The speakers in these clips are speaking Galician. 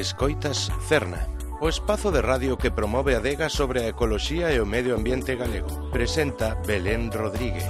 Escoitas Cerna, o espazo de radio que promove a adega sobre a ecoloxía e o medio ambiente galego. Presenta Belén Rodríguez.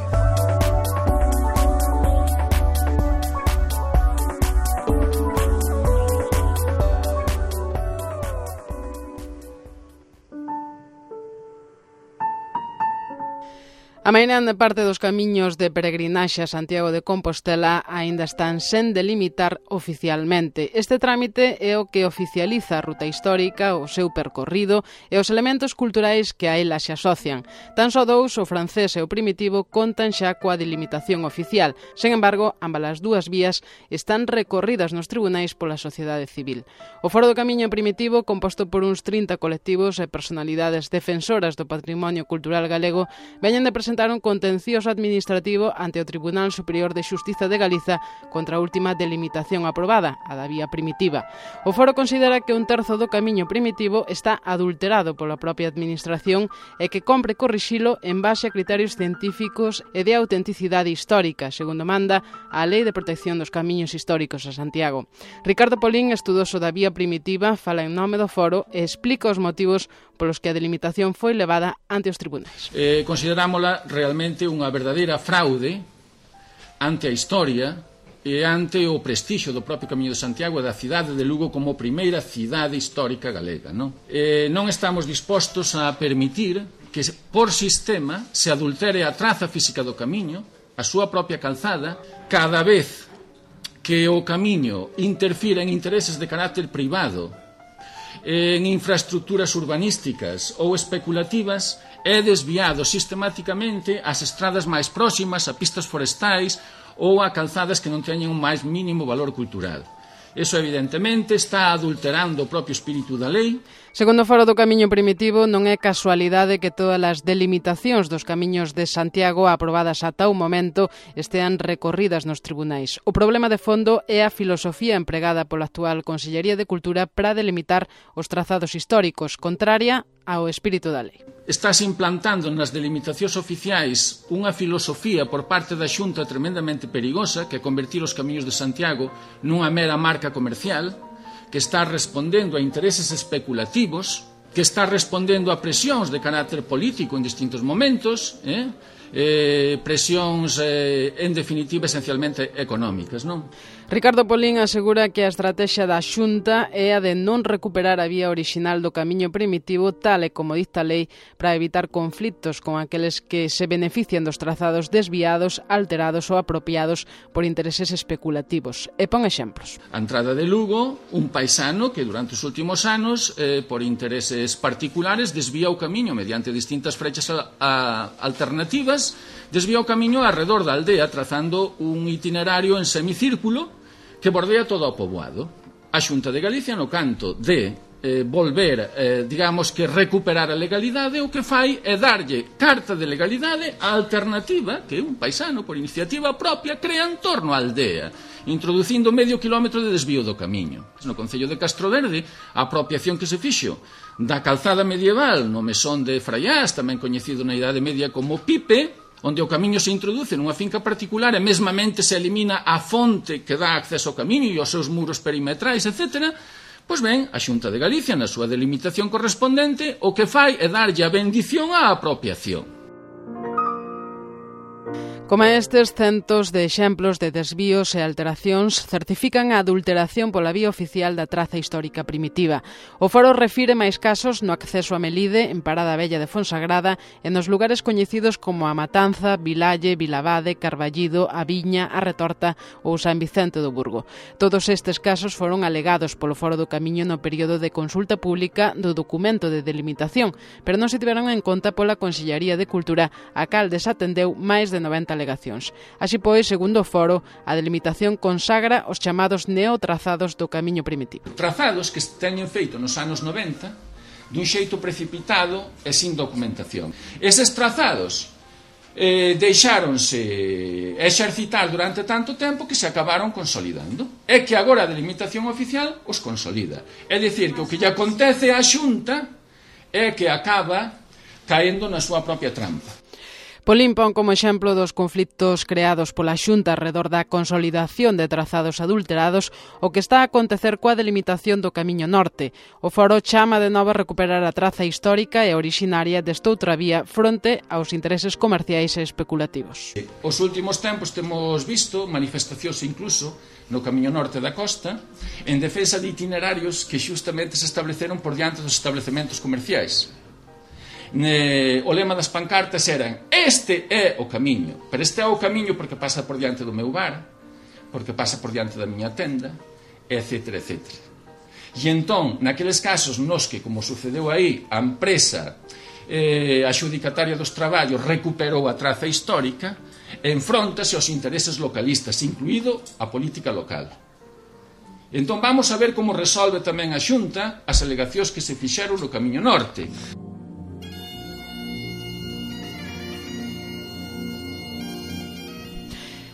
A mairande parte dos camiños de peregrinaxe a Santiago de Compostela aínda están sen delimitar oficialmente. Este trámite é o que oficializa a ruta histórica, o seu percorrido e os elementos culturais que a ela se asocian. Tan só dous, o francés e o primitivo, contan xa coa delimitación oficial. Sen embargo, ambas as dúas vías están recorridas nos tribunais pola sociedade civil. O Foro do Camiño Primitivo, composto por uns 30 colectivos e personalidades defensoras do patrimonio cultural galego, veñen de presentar un contencioso administrativo ante o Tribunal Superior de Xustiza de Galiza contra a última delimitación aprobada, a da vía primitiva. O Foro considera que un terzo do camiño primitivo está adulterado pola propia administración e que compre corrixilo en base a criterios científicos e de autenticidade histórica, segundo manda a Lei de Protección dos Camiños Históricos a Santiago. Ricardo Polín, estudoso da vía primitiva, fala en nome do Foro e explica os motivos polos que a delimitación foi levada ante os tribunais. Considerámola realmente unha verdadeira fraude ante a historia e ante o prestixio do propio Camiño de Santiago e da cidade de Lugo como primeira cidade histórica galega. Non estamos dispostos a permitir que por sistema se adultere a traza física do camiño, a súa propia calzada, cada vez que o camiño interfira en intereses de carácter privado, en infraestructuras urbanísticas ou especulativas, é desviado sistemáticamente ás estradas máis próximas, a pistas forestais ou a calzadas que non teñen un máis mínimo valor cultural. Eso, evidentemente, está adulterando o propio espírito da lei. Segundo o Foro do Camiño Primitivo, non é casualidade que todas as delimitacións dos camiños de Santiago aprobadas ata o momento estean recorridas nos tribunais. O problema de fondo é a filosofía empregada pola actual Consellería de Cultura para delimitar os trazados históricos, contraria ao espírito da lei. Estás implantando nas delimitacións oficiais unha filosofía por parte da Xunta tremendamente perigosa, que é convertir os camiños de Santiago nunha mera marca comercial, que está respondendo a intereses especulativos, que está respondendo a presións de carácter político en distintos momentos, presións, en definitiva, esencialmente económicas, non? Ricardo Polín asegura que a estrategia da Xunta é a de non recuperar a vía orixinal do camiño primitivo tal e como dicta a lei para evitar conflitos con aqueles que se benefician dos trazados desviados, alterados ou apropiados por intereses especulativos. E pon exemplos. A entrada de Lugo, un paisano que durante os últimos anos, por intereses particulares, desvía o camiño mediante distintas frechas alternativas, desvía o camiño alrededor da aldea trazando un itinerario en semicírculo que bordea todo o poboado. A Xunta de Galicia, no canto de volver, digamos que recuperar a legalidade, o que fai é darlle carta de legalidade á alternativa que un paisano, por iniciativa propia, crea en torno á aldea, introducindo medio kilómetro de desvío do camiño. No Concello de Castroverde, a apropiación que se fixo da calzada medieval no mesón de Fraiás, tamén coñecido na Idade Media como Pipe, onde o camiño se introduce nunha finca particular e mesmamente se elimina a fonte que dá acceso ao camiño e aos seus muros perimetrais, etc., pois ben, a Xunta de Galicia, na súa delimitación correspondente, o que fai é darlle a bendición á apropiación. Como estes, centos de exemplos de desvíos e alteracións certifican a adulteración pola vía oficial da traza histórica primitiva. O Foro refire máis casos no acceso a Melide, en Parada Vella de Fonsagrada, e nos lugares coñecidos como a Matanza, Vilalle, Vilavade, Carballido, a Viña, a Retorta ou San Vicente do Burgo. Todos estes casos foron alegados polo Foro do Camiño no período de consulta pública do documento de delimitación, pero non se tiveron en conta pola Consellería de Cultura, a cal desatendeu máis de 90 alegacións. Así pois, segundo o Foro, a delimitación consagra os chamados neotrazados do camiño primitivo. Trazados que se teñen feito nos anos 90 dun xeito precipitado e sin documentación. Eses trazados deixáronse exercitar durante tanto tempo que se acabaron consolidando. É que agora a delimitación oficial os consolida. É dicir, que o que lle acontece á Xunta é que acaba caendo na súa propia trampa. Polín pon como exemplo dos conflitos creados pola Xunta arredor da consolidación de trazados adulterados o que está a acontecer coa delimitación do Camiño Norte. O foro chama de novo a recuperar a traza histórica e orixinaria destoutra vía fronte aos intereses comerciais e especulativos. Os últimos tempos temos visto manifestacións incluso no Camiño Norte da costa en defensa de itinerarios que xustamente se estableceron por diante dos establecementos comerciais. O lema das pancartas eran: este é o camiño, pero este é o camiño porque pasa por diante do meu bar, porque pasa por diante da miña tenda, etc, etc. E entón, naqueles casos nos que, como sucedeu aí, a empresa adxudicataria dos traballos recuperou a traza histórica, enfróntase aos intereses localistas, incluído a política local. Entón vamos a ver como resolve tamén a Xunta as alegacións que se fixeron no Camiño Norte.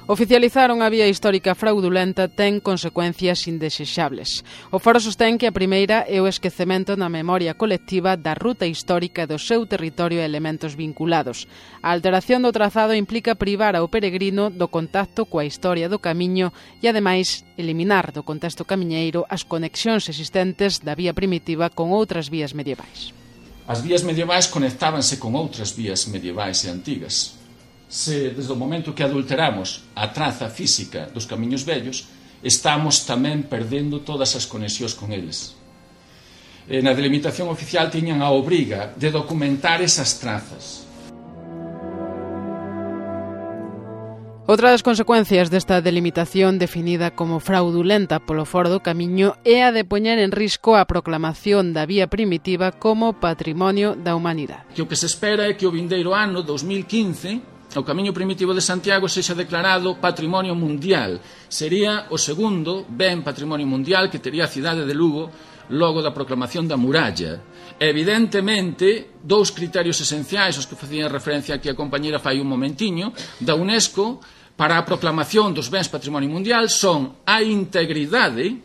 Oficializar unha vía histórica fraudulenta ten consecuencias indesexables. O foro sostén que a primeira é o esquecemento na memoria colectiva da ruta histórica do seu territorio e elementos vinculados. A alteración do trazado implica privar ao peregrino do contacto coa historia do camiño e, ademais, eliminar do contexto camiñeiro as conexións existentes da vía primitiva con outras vías medievais. As vías medievais conectábanse con outras vías medievais e antigas. Se desde o momento que adulteramos a traza física dos camiños vellos, estamos tamén perdendo todas as conexións con eles. Na delimitación oficial tiñan a obriga de documentar esas trazas. Outra das consecuencias desta delimitación definida como fraudulenta polo Foro do Camiño é a de poñer en risco a proclamación da vía primitiva como Patrimonio da Humanidade. Que o que se espera é que o vindeiro ano 2015 o Camiño Primitivo de Santiago sexa declarado Patrimonio Mundial. Sería o segundo ben Patrimonio Mundial que tería a cidade de Lugo logo da proclamación da muralla. Evidentemente, dous criterios esenciais aos que facían referencia aquí a compañera fai un momentiño, da UNESCO para a proclamación dos bens Patrimonio Mundial son a integridade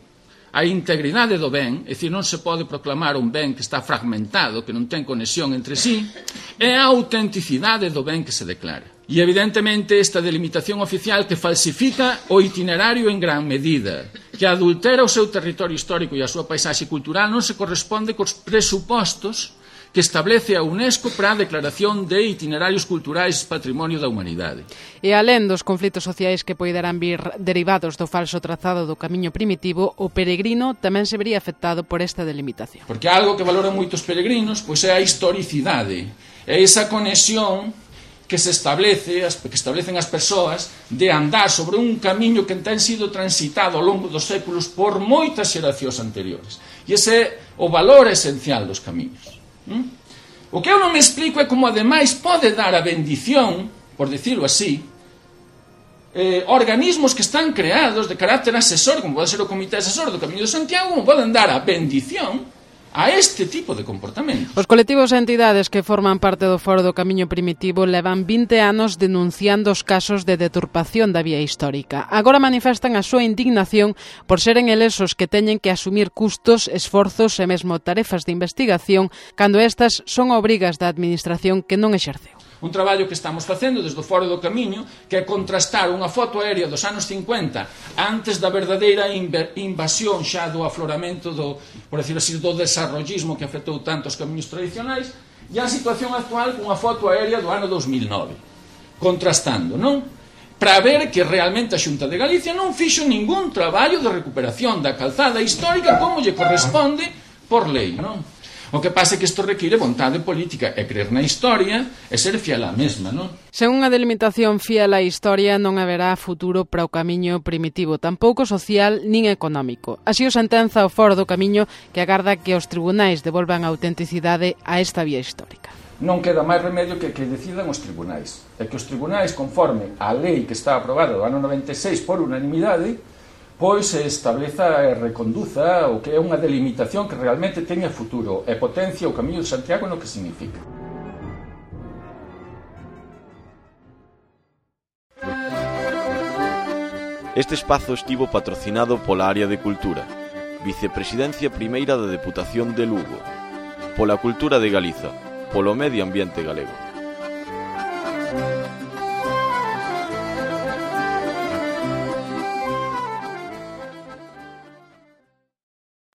do ben, é dicir, non se pode proclamar un ben que está fragmentado, que non ten conexión entre sí, e a autenticidade do ben que se declara. E, evidentemente, esta delimitación oficial que falsifica o itinerario en gran medida, que adultera o seu territorio histórico e a súa paisaxe cultural, non se corresponde cos presupostos que establece a UNESCO para a declaración de itinerarios culturais Patrimonio da Humanidade. E alén dos conflitos sociais que poderán vir derivados do falso trazado do camiño primitivo, o peregrino tamén se vería afectado por esta delimitación. Porque algo que valoran moitos peregrinos pois é a historicidade, é esa conexión que se establece, que establecen as persoas de andar sobre un camiño que ten sido transitado ao longo dos séculos por moitas xeracións anteriores. E ese é o valor esencial dos camiños. O que eu non me explico é como ademais pode dar a bendición, por decirlo así, organismos que están creados de carácter asesor, como pode ser o Comité Asesor do Camiño de Santiago, como poden dar a bendición a este tipo de comportamentos. Os colectivos e entidades que forman parte do Foro do Camiño Primitivo levan 20 anos denunciando os casos de deturpación da vía histórica. Agora manifestan a súa indignación por seren eles os que teñen que asumir custos, esforzos e mesmo tarefas de investigación cando estas son obrigas da administración que non exerceu. Un traballo que estamos facendo desde o Foro do Camiño, que é contrastar unha foto aérea dos anos 50 antes da verdadeira invasión xa do afloramento do, por decirlo así, do desarrollismo que afectou tanto os camiños tradicionais, e a situación actual cunha foto aérea do ano 2009. Contrastando, non? Para ver que realmente a Xunta de Galicia non fixo ningún traballo de recuperación da calzada histórica como lle corresponde por lei, non? O que pasa é que isto require vontade política e crer na historia e ser fiel á mesma, non? Sen unha delimitación fiel á historia non haberá futuro para o camiño primitivo, tampouco social nin económico. Así o sentenza o Foro do Camiño, que agarda que os tribunais devolvan a autenticidade a esta vía histórica. Non queda máis remedio que decidan os tribunais. E que os tribunais, conforme a lei que está aprobada do ano 96 por unanimidade, pois se estableza e reconduza o que é unha delimitación que realmente teña futuro e potencia o Camiño de Santiago no que significa. Este espazo estivo patrocinado pola Área de Cultura, Vicepresidencia Primeira da Deputación de Lugo, pola Cultura de Galiza, polo Medio Ambiente Galego.